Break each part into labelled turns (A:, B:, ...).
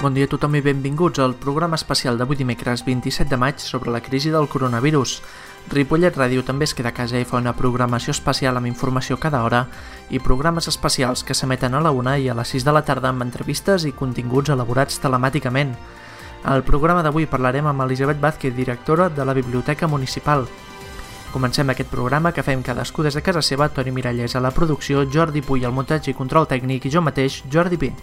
A: Bon dia a tothom i benvinguts al programa especial d'avui dimecres 27 de maig sobre la crisi del coronavirus. Ripollet Ràdio també es queda a casa i fa una programació especial amb informació cada hora i programes especials que s'emeten a la 1 i a les 6 de la tarda amb entrevistes i continguts elaborats telemàticament. Al programa d'avui parlarem amb Elisabet Vázquez, directora de la Biblioteca Municipal. Comencem aquest programa que fem cadascú des de casa seva, Toni Miralles a la producció, Jordi Puy al muntatge i control tècnic i jo mateix, Jordi Pi.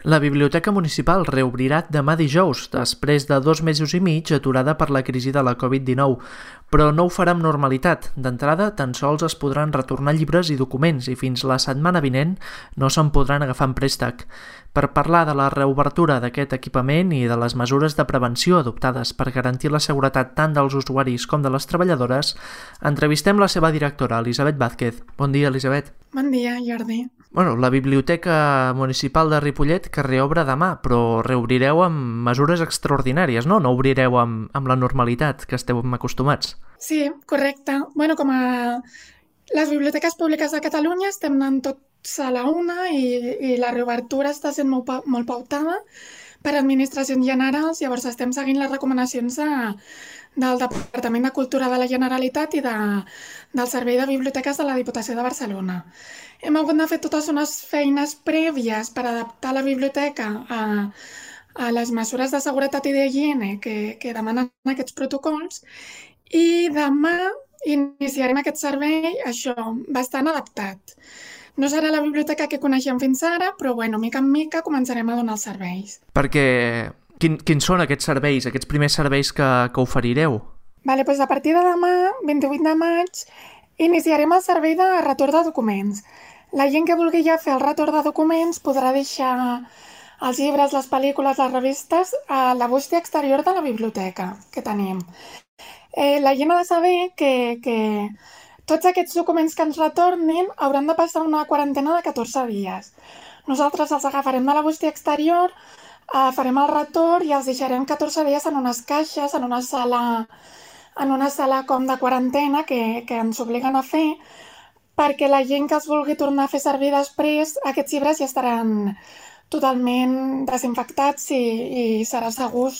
A: La Biblioteca Municipal reobrirà demà dijous, després de 2 mesos i mig aturada per la crisi de la Covid-19, però no ho farà amb normalitat. D'entrada, tan sols es podran retornar llibres i documents i fins la setmana vinent no se'n podran agafar en préstec. Per parlar de la reobertura d'aquest equipament i de les mesures de prevenció adoptades per garantir la seguretat tant dels usuaris com de les treballadores, entrevistem la seva directora, Elisabet Vázquez. Bon dia, Elisabet.
B: Bon dia, Jordi.
A: La Biblioteca Municipal de Ripollet que reobre demà, però reobrireu amb mesures extraordinàries, no? No obrireu amb la normalitat que esteu acostumats.
B: Sí, correcte. Com a les biblioteques públiques de Catalunya estem anant tots a la una i la reobertura està sent molt pautada per administracions generals, llavors estem seguint les recomanacions del Departament de Cultura de la Generalitat i del Servei de Biblioteques de la Diputació de Barcelona. Hem hagut de fer totes unes feines prèvies per adaptar la biblioteca a les mesures de seguretat i d'higiene que demanen aquests protocols i demà iniciarem aquest servei, bastant adaptat. No serà la biblioteca que coneixem fins ara, però mica en mica començarem a donar els serveis.
A: Perquè quins són aquests serveis, aquests primers serveis que oferireu?
B: Doncs a partir de demà, 28 de maig, iniciarem el servei de retorn de documents. La gent que vulgui ja fer el retorn de documents podrà deixar els llibres, les pel·lícules, les revistes a la bústia exterior de la biblioteca que tenim. La gent ha de saber que tots aquests documents que ens retornin hauran de passar una quarantena de 14 dies. Nosaltres els agafarem de la bústia exterior, farem el retorn i els deixarem 14 dies en unes caixes, en una sala com de quarantena que ens obliguen a fer, perquè la gent que els vulgui tornar a fer servir després, aquests llibres ja estaran totalment desinfectats i serà segur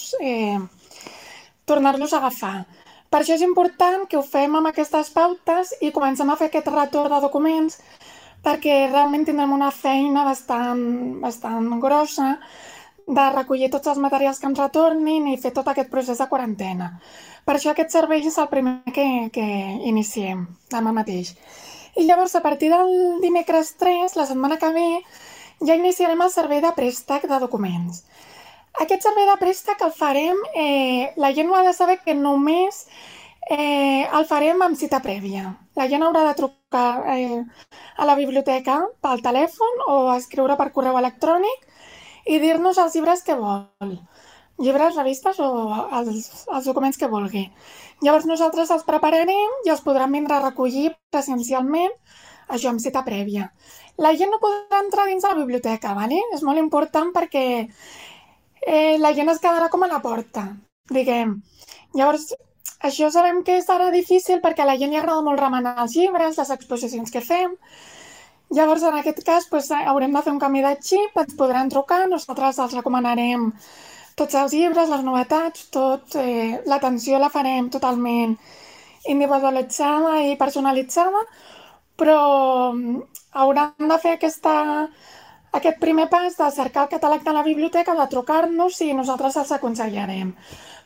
B: tornar-los a agafar. Per això és important que ho fem amb aquestes pautes i comencem a fer aquest retorn de documents perquè realment tindrem una feina bastant grossa de recollir tots els materials que ens retornin i fer tot aquest procés de quarantena. Per això aquest servei és el primer que iniciem demà mateix. I llavors, a partir del dimecres 3, la setmana que ve, ja iniciarem el servei de préstec de documents. Aquest servei de préstec el farem, la gent ho ha de saber que només el farem amb cita prèvia. La gent haurà de trucar a la biblioteca pel telèfon o escriure per correu electrònic i dir-nos els llibres que vol. Llibres, revistes o els documents que vulgui. Llavors nosaltres els prepararem i els podran vindre a recollir presencialment, això amb cita prèvia. La gent no podrà entrar dins de la biblioteca, ¿vale? És molt important perquè la gent es quedarà com a la porta, diguem. Llavors, això sabem que serà difícil perquè a la gent li agrada molt remenar els llibres, les exposicions que fem. Llavors, en aquest cas, haurem de fer un canvi de xip, ens podran trucar, nosaltres els recomanarem tots els llibres, les novetats, l'atenció la farem totalment individualitzada i personalitzada, però hauran de fer aquest primer pas de cercar el catàleg de la biblioteca, de trucar-nos i nosaltres els aconsellarem,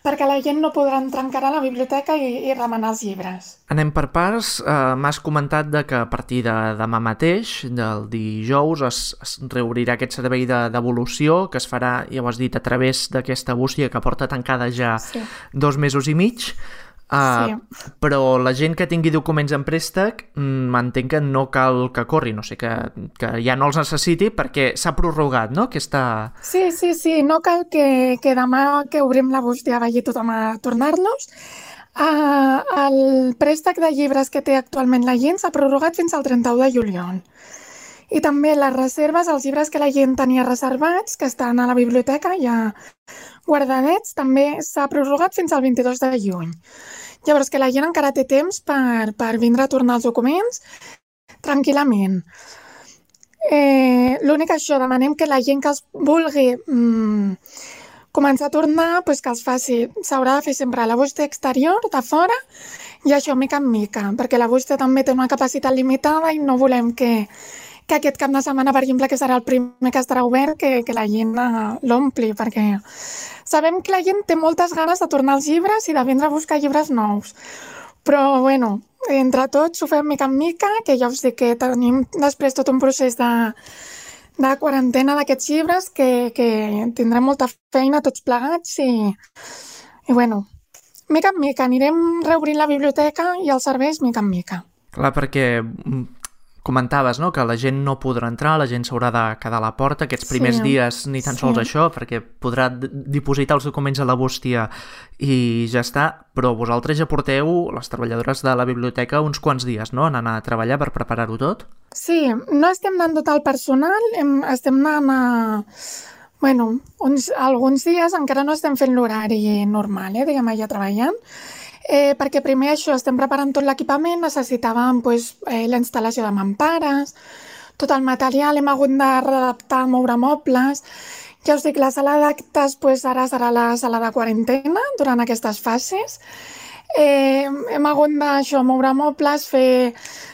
B: perquè la gent no podrà entrar encara a la biblioteca i remenar els llibres.
A: Anem per parts. M'has comentat que a partir de demà mateix, del dijous, es reobrirà aquest servei de devolució que es farà, ja ho has dit, a través d'aquesta bústia que porta tancada ja 2 mesos i mig.
B: Sí.
A: Però la gent que tingui documents en préstec m'entenc que no cal que corri, no sé, que ja no els necessiti perquè s'ha prorrogat, no?
B: Sí, no cal que demà que obrim la bústia vagi tothom a tornar-los. El préstec de llibres que té actualment la gent s'ha prorrogat fins al 31 de juliol. I també les reserves, els llibres que la gent tenia reservats, que estan a la biblioteca ja guardadets, també s'ha prorrogat fins al 22 de juny. Llavors, que la gent encara té temps per vindre a tornar els documents tranquil·lament. L'únic això, demanem que la gent que els vulgui començar a tornar, doncs que els faci, s'haurà de fer sempre a la bústia exterior, de fora, i això mica en mica, perquè la bústia també té una capacitat limitada i no volem que aquest cap de setmana, per exemple, que serà el primer que estarà obert, que la gent l'ompli, perquè sabem que la gent té moltes ganes de tornar als llibres i de vindre a buscar llibres nous. Però, bueno, entre tots ho fem mica en mica, que ja us dic que tenim després tot un procés de quarantena d'aquests llibres que tindrem molta feina tots plegats i bueno, mica en mica anirem reobrint la biblioteca i els serveis mica en mica.
A: Clar, perquè comentaves, no?, que la gent no podrà entrar, la gent s'haurà de quedar a la porta aquests primers dies, ni tan sols això, perquè podrà dipositar els documents a la bústia i ja està, però vosaltres ja porteu, les treballadores de la biblioteca, uns quants dies, no?, en anar a treballar per preparar-ho tot?
B: Sí, no estem anant tot el personal, estem anant alguns dies encara no estem fent l'horari normal, diguem, allà treballant, perquè primer això, estem preparant tot l'equipament, necessitàvem la instal·lació de mampares, tot el material, hem hagut de readaptar, moure mobles. Ja us dic, la sala d'actes ara serà la sala de quarantena durant aquestes fases. Hem hagut d'això, moure mobles,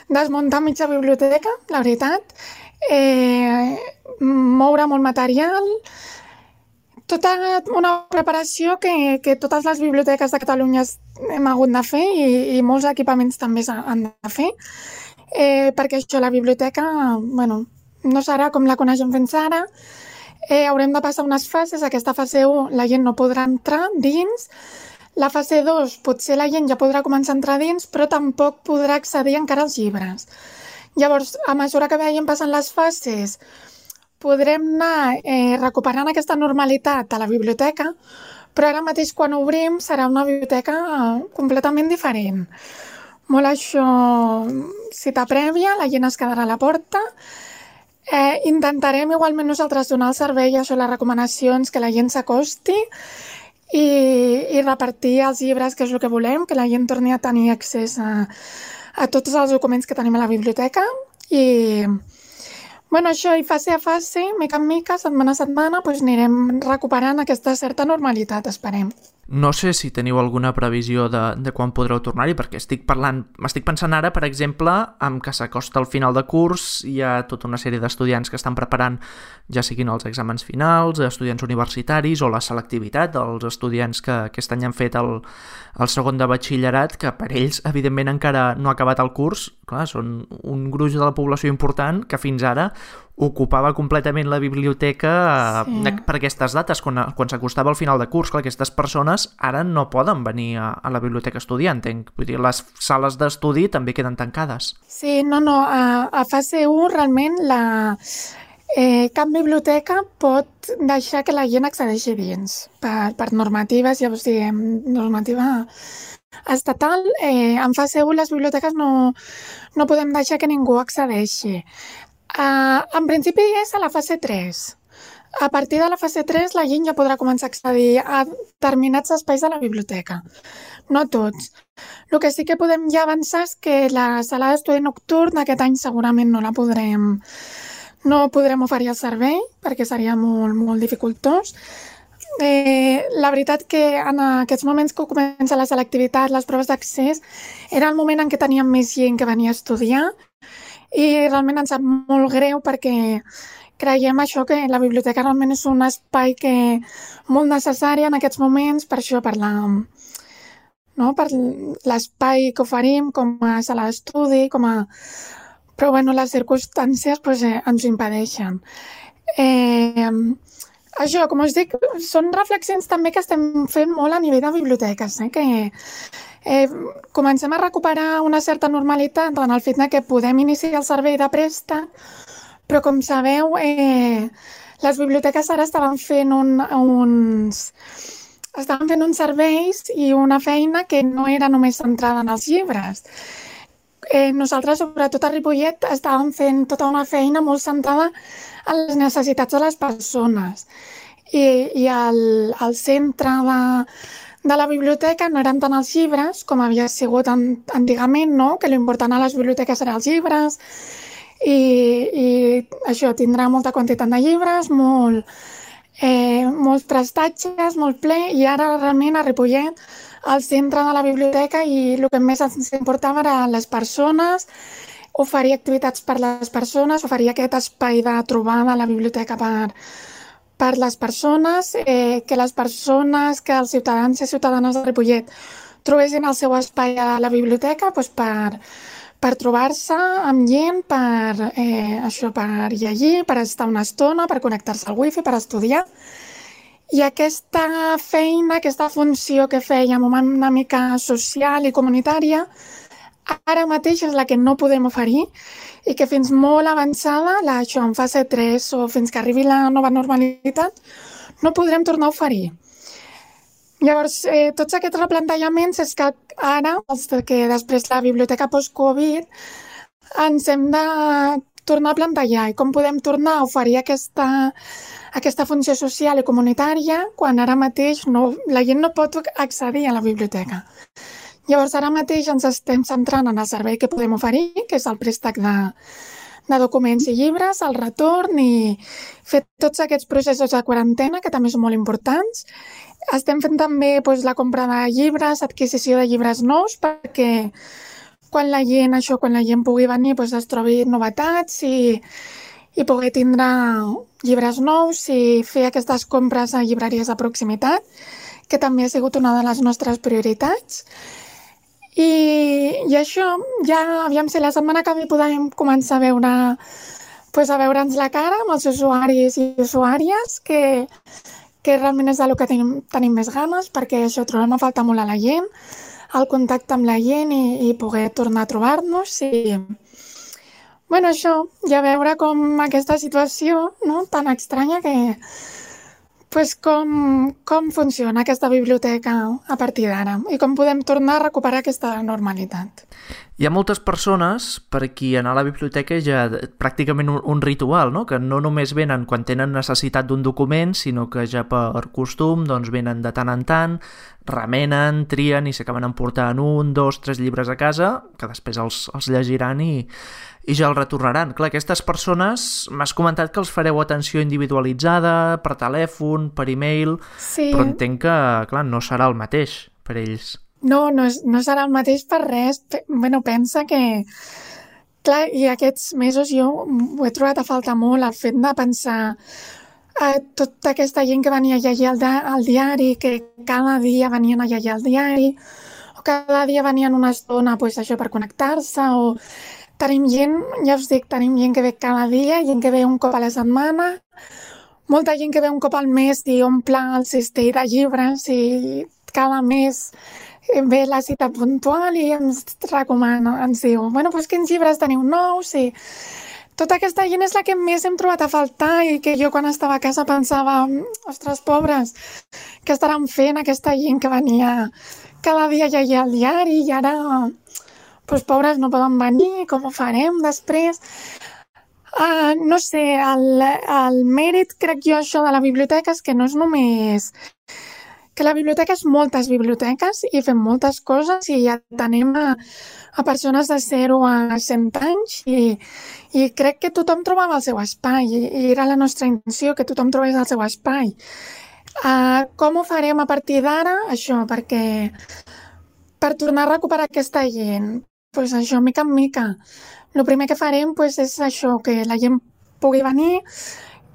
B: desmuntar mitja biblioteca, la veritat, moure molt material, tota una preparació que totes les biblioteques de Catalunya hem hagut de fer i molts equipaments també s'han de fer, perquè això, la biblioteca, no serà com la coneixem fins ara, haurem de passar unes fases, aquesta fase 1 la gent no podrà entrar dins, la fase 2 potser la gent ja podrà començar a entrar dins, però tampoc podrà accedir encara als llibres. Llavors, a mesura que vagin passant les fases, podrem anar recuperant aquesta normalitat a la biblioteca, però ara mateix quan obrim serà una biblioteca completament diferent. Molt això, cita prèvia, la gent es quedarà a la porta. Intentarem igualment nosaltres donar el servei, això, les recomanacions, que la gent s'acosti i repartir els llibres, que és el que volem, que la gent torni a tenir accés a tots els documents que tenim a la biblioteca i això, i fase a fase, mica en mica, setmana a setmana, anirem recuperant aquesta certa normalitat, esperem.
A: No sé si teniu alguna previsió de quan podreu tornar-hi, perquè m'estic pensant ara, per exemple, en que s'acosta el final de curs, hi ha tota una sèrie d'estudiants que estan preparant, ja siguin els exàmens finals, estudiants universitaris o la selectivitat dels estudiants que aquest any han fet el segon de batxillerat, que per ells, evidentment, encara no ha acabat el curs. Clar, són un gruix de la població important que fins ara ocupava completament la biblioteca per aquestes dates, quan s'acostava al final de curs. Clar, aquestes persones ara no poden venir a la biblioteca a estudiar, entenc. Vull dir, les sales d'estudi també queden tancades.
B: Sí, a fase 1 realment cap biblioteca pot deixar que la gent accedeixi dins per normatives, ja us diem, normativa estatal. En fase 1 les biblioteques no podem deixar que ningú accedeixi. En principi és a la fase 3. A partir de la fase 3 la gent ja podrà començar a accedir a determinats espais de la biblioteca. No tots. El que sí que podem ja avançar és que la sala d'estudi nocturn aquest any segurament no podrem oferir el servei perquè seria molt, molt dificultós. La veritat que en aquests moments que comença la selectivitat, les proves d'accés, era el moment en què teníem més gent que venia a estudiar i realment ens sap molt greu perquè creiem això, que la biblioteca realment és un espai molt necessari en aquests moments, per això, per l'espai que oferim com a sala d'estudi, però les circumstàncies ens ho impedeixen. Això, com us dic, són reflexions també que estem fent molt a nivell de biblioteques, que comencem a recuperar una certa normalitat en el fet que podem iniciar el servei de préstec, però com sabeu, les biblioteques ara estaven fent uns serveis i una feina que no era només centrada en els llibres. Nosaltres, sobretot a Ripollet, estàvem fent tota una feina molt centrada en les necessitats de les persones. I el centre de la biblioteca no eren tant els llibres com havia sigut antigament, no? Que l'important a les biblioteques eren els llibres i això, tindrà molta quantitat de llibres, molts prestatges, molt ple, i ara realment a Ripollet, al centre de la biblioteca, i el que més ens importava eren les persones, oferir activitats per les persones, oferir aquest espai de trobada a la biblioteca per les persones, que les persones, que els ciutadans i ciutadanes de Ripollet trobessin el seu espai a la biblioteca doncs per trobar-se amb gent, per llegir, per estar una estona, per connectar-se al wifi, per estudiar. I aquesta feina, aquesta funció que fèiem una mica social i comunitària, ara mateix és la que no podem oferir i que fins molt avançada, en fase 3 o fins que arribi la nova normalitat, no podrem tornar a oferir. Llavors, tots aquests replantellaments és que ara, que després la biblioteca post-Covid, ens hem de tornar a plantejar i com podem tornar a oferir aquesta funció social i comunitària quan ara mateix la gent no pot accedir a la biblioteca. Llavors, ara mateix ens estem centrant en el servei que podem oferir, que és el préstec de documents i llibres, el retorn i fer tots aquests processos de quarantena, que també són molt importants. Estem fent també la compra de llibres, adquisició de llibres nous, perquè quan la gent pugui venir es trobi novetats i poder tindre llibres nous i fer aquestes compres a llibreries de proximitat, que també ha sigut una de les nostres prioritats. I això, ja aviam si la setmana que ve podem començar a veure'ns la cara amb els usuaris i usuàries, que realment és del que tenim més ganes, perquè això trobem a faltar molt a la gent, el contacte amb la gent i poder tornar a trobar-nos. I això, ja veure com aquesta situació tan estranya com funciona aquesta biblioteca a partir d'ara i com podem tornar a recuperar aquesta normalitat.
A: Hi ha moltes persones per qui anar a la biblioteca és ja pràcticament un ritual, no? Que no només venen quan tenen necessitat d'un document, sinó que ja per costum venen de tant en tant, remenen, trien i s'acaben emportant 1, 2, 3 llibres a casa, que després els llegiran i ja el retornaran. Clar, aquestes persones, m'has comentat que els fareu atenció individualitzada, per telèfon, per e-mail, sí. Però entenc que, clar, no serà el mateix per ells.
B: No serà el mateix per res. Pensa que, clar, i aquests mesos jo ho he trobat a faltar molt, el fet de pensar a tota aquesta gent que venia a llegir al diari, que cada dia venien a llegir al diari, o cada dia venien una estona per connectar-se, o tenim gent, ja us dic, tenim gent que ve cada dia, gent que ve un cop a la setmana, molta gent que ve un cop al mes i omple el cistell de llibres i cada mes ve la cita puntual i ens recomana, ens diu, quins llibres teniu nous? I tota aquesta gent és la que més hem trobat a faltar i que jo quan estava a casa pensava, ostres, pobres, què estaran fent aquesta gent que venia cada dia a llegir al diari i ara pobres no poden venir, com ho farem després? No sé, el mèrit, crec jo, això de la biblioteca és que no és només que la biblioteca és moltes biblioteques i fem moltes coses i atenem a persones de 0 a 100 anys i crec que tothom trobava el seu espai i era la nostra intenció que tothom trobés el seu espai. Com ho farem a partir d'ara? Això, perquè per tornar a recuperar aquesta gent, això, mica en mica. El primer que farem és això, que la gent pugui venir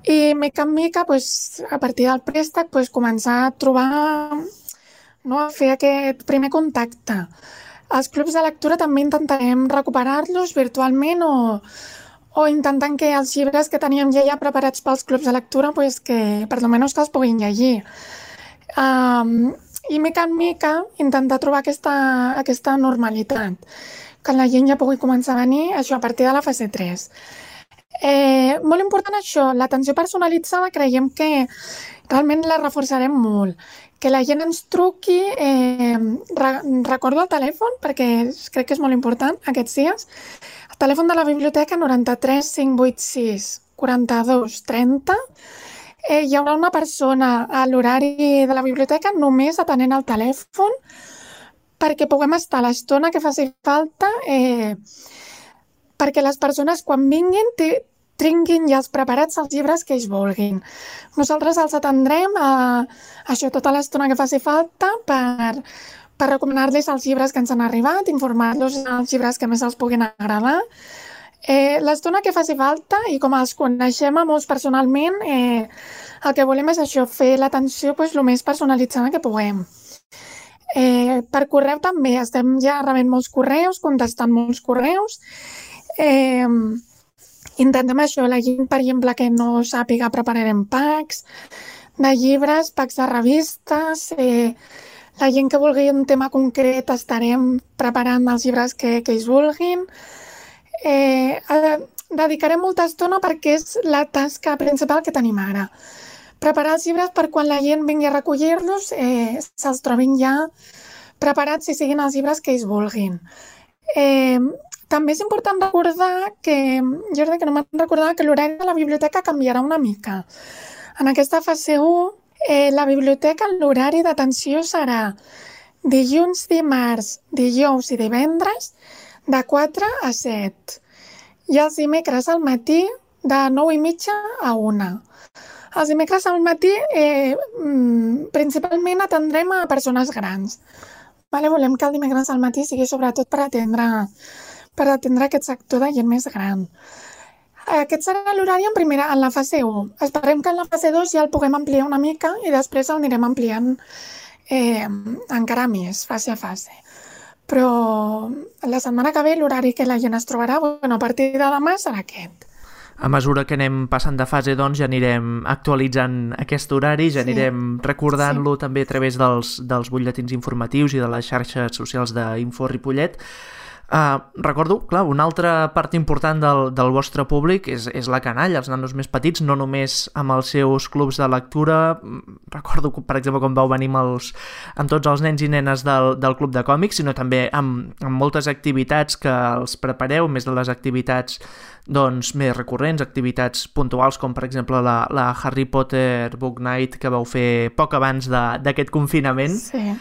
B: i mica en mica, a partir del préstec, començar a trobar, a fer aquest primer contacte. Els clubs de lectura també intentarem recuperar-los virtualment o intentant que els llibres que teníem ja preparats pels clubs de lectura, que per almenys que els puguin llegir. I mica en mica intentar trobar aquesta normalitat, que la gent ja pugui començar a venir, això a partir de la fase 3. Molt important això, l'atenció personalitzada creiem que realment la reforçarem molt. Que la gent ens truqui, recordo el telèfon, perquè crec que és molt important aquests dies. El telèfon de la biblioteca 93 586 42 30 hi haurà una persona a l'horari de la biblioteca només atenent el telèfon perquè puguem estar l'estona que faci falta, perquè les persones quan vinguin tinguin ja preparats els llibres que ells vulguin. Nosaltres els atendrem això tota l'estona que faci falta per recomanar-los els llibres que ens han arribat, informar-los dels llibres que més els puguin agradar. L'estona que faci falta, i com els coneixem a molts personalment, el que volem és això, fer l'atenció el més personalitzada que puguem. Per correu també, estem ja rebent molts correus, contestant molts correus. Intentem això, la gent, per exemple, que no sàpiga, prepararem packs de llibres, packs de revistes, la gent que vulgui un tema concret estarem preparant els llibres que ells vulguin. Dedicarem molta estona perquè és la tasca principal que tenim ara. Preparar els llibres per quan la gent vingui a recollir-los se'ls trobin ja preparats i siguin els llibres que ells vulguin. També és important recordar que, Jordi, que no me'n recordava, que l'horari de la biblioteca canviarà una mica. En aquesta fase 1, la biblioteca, l'horari d'atenció serà dilluns, dimarts, dijous i divendres de 4 a 7. I els dimecres al matí de 9:30 a 1. Els dimecres al matí principalment atendrem a persones grans. Volem que el dimecres al matí sigui sobretot per atendre aquest sector de gent més gran. Aquest serà l'horari en la fase 1. Esperem que en la fase 2 ja el puguem ampliar una mica i després el anirem ampliant encara més, fase a fase. Però la setmana que ve l'horari que la gent es trobarà, a partir de demà serà aquest.
A: A mesura que anem passant de fase, doncs, ja anirem actualitzant aquest horari, ja anirem recordant-lo també a través dels butlletins informatius i de les xarxes socials d'Info Ripollet. Recordo, clar, una altra part important del vostre públic és la canalla, els nanos més petits, no només amb els seus clubs de lectura. Recordo, per exemple, quan vau venir amb tots els nens i nenes del club de còmics, sinó també amb moltes activitats que els prepareu, més de les activitats doncs, més recurrents, activitats puntuals, com per exemple la Harry Potter Book Night que vau fer poc abans d'aquest confinament.
B: Sí.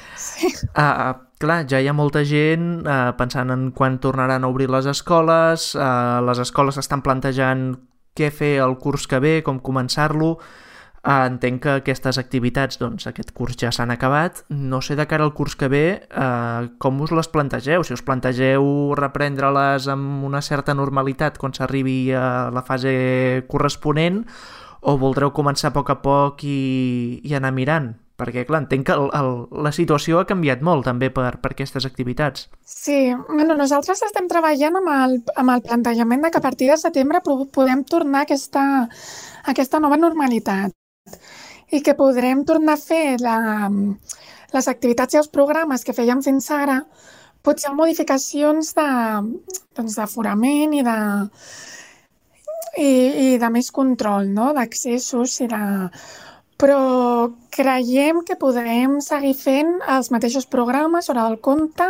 A: Clar, ja hi ha molta gent pensant en quan tornaran a obrir les escoles estan plantejant què fer el curs que ve, com començar-lo. Entenc que aquestes activitats, doncs, aquest curs ja s'han acabat. No sé de cara al curs que ve com us les plantegeu, si us plantegeu reprendre-les amb una certa normalitat quan s'arribi a la fase corresponent o voldreu començar a poc i anar mirant? Perquè, clar, entenc que la situació ha canviat molt també per aquestes activitats.
B: Sí, nosaltres estem treballant amb el plantejament de que a partir de setembre podem tornar a aquesta nova normalitat i que podrem tornar a fer les activitats i els programes que fèiem fins ara, potser amb modificacions d'aforament i de més control, no? D'accessos però creiem que podrem seguir fent els mateixos programes, hora del conte,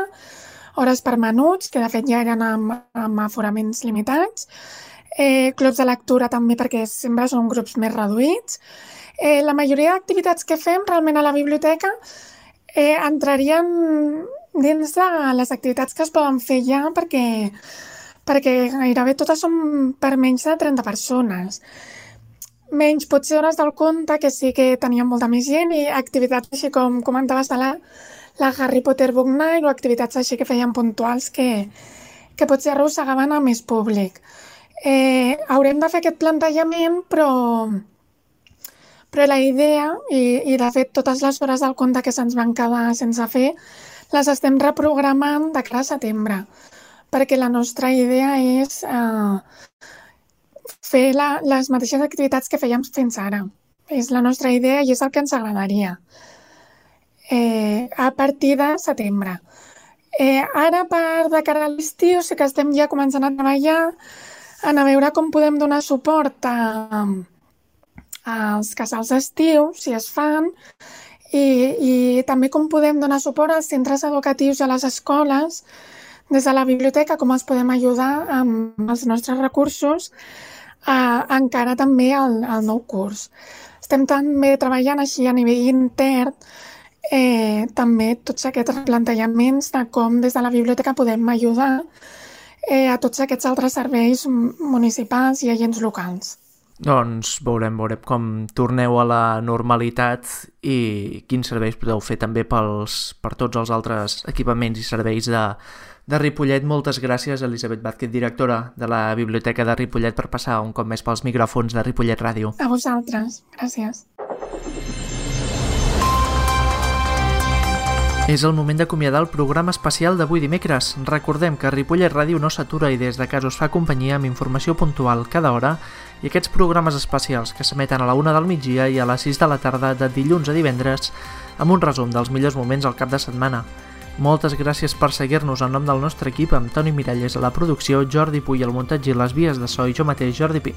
B: hores per menuts, que de fet ja eren amb aforaments limitats, clubs de lectura també perquè sempre són grups més reduïts. La majoria d'activitats que fem realment a la biblioteca entrarien dins de les activitats que es poden fer ja perquè gairebé totes són per menys de 30 persones. Menys potser hores del conte, que sí que teníem molta més gent, i activitats així com comentaves de la Harry Potter Book Night o activitats així que feien puntuals que potser arrossegaven a més públic. Haurem de fer aquest plantejament, però la idea, i de fet totes les hores del conte que se'ns van quedar sense fer, les estem reprogramant de cara a setembre, perquè la nostra idea és fer les mateixes activitats que fèiem fins ara. És la nostra idea i és el que ens agradaria a partir de setembre. Ara, de cara a l'estiu, sí que estem ja començant a treballar a veure com podem donar suport als casals d'estiu, si es fan, i també com podem donar suport als centres educatius i a les escoles des de la biblioteca, com els podem ajudar amb els nostres recursos encara també al nou curs. estem també treballant així a nivell intern també tots aquests replantejaments de com des de la biblioteca podem ajudar a tots aquests altres serveis municipals i agents locals.
A: Doncs veurem com torneu a la normalitat i quins serveis podeu fer també per tots els altres equipaments i serveis de Ripollet. Moltes gràcies, Elisabet Vázquez, directora de la Biblioteca de Ripollet, per passar un cop més pels micròfons de Ripollet Ràdio.
B: A vosaltres, gràcies.
A: És el moment d'acomiadar el programa especial d'avui dimecres. Recordem que Ripollet Ràdio no s'atura i des de casa us fa companyia amb informació puntual cada hora i aquests programes especials que s'emeten a la 1 del migdia i a les 6 de la tarda de dilluns a divendres amb un resum dels millors moments al cap de setmana. Moltes gràcies per seguir-nos en nom del nostre equip, amb Toni Miralles a la producció, Jordi Puy al muntatge i les vies de so i jo mateix, Jordi Pi.